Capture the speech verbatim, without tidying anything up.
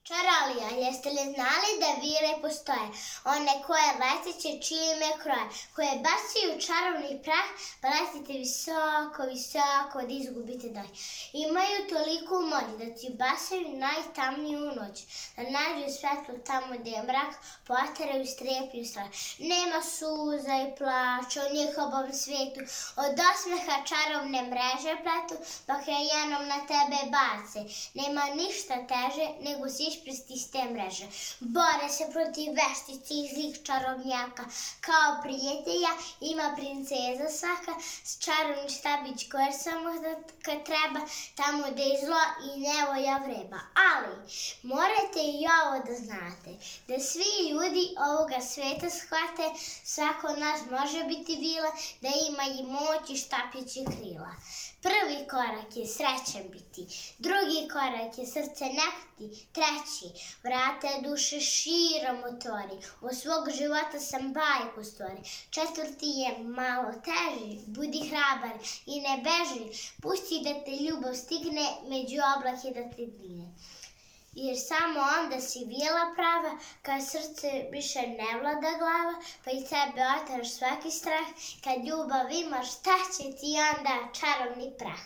Čarolija, jeste li znali da vile postoje? One koje leteće čime kroje, koje bacaju čarovni prah, pa letite visoko, visoko da izgubite dah. Imaju toliku moć da ti bacaju najtamniju noć, da nađu svetlo tamo gde je mrak, poteraju strepnju strah. Nema suza i plača u njihovom svetu, od osmeha čarovne mreže pletu, dok je jednom na tebe bace. Nema ništa teže nego si isprsti iz te mreže. Bore se protiv veštici i zlih čarovnjaka. Kao prijatelja ima princeza svaka, s čarovni štapić koje samo kad treba, tamo gde je zlo i nevolja vreba. Ali, morate i ovo da znate, da svi ljudi ovoga sveta shvate, svako od nas može biti vila, da ima i moć i štapić i krila. Prvi korak je srećan biti, drugi korak je srce nekti, treći vrata duše širom otvori, u svog života sam bajku stvori, četvrti je malo teži, budi hrabar i ne beži, pusti da te ljubav stigne, među oblake da te digne. Jer samo onda si vila prava, kad srce više ne vlada glava, pa i tebe otaraš svaki strah, kad ljubav imaš, šta će ti onda čarovni prah?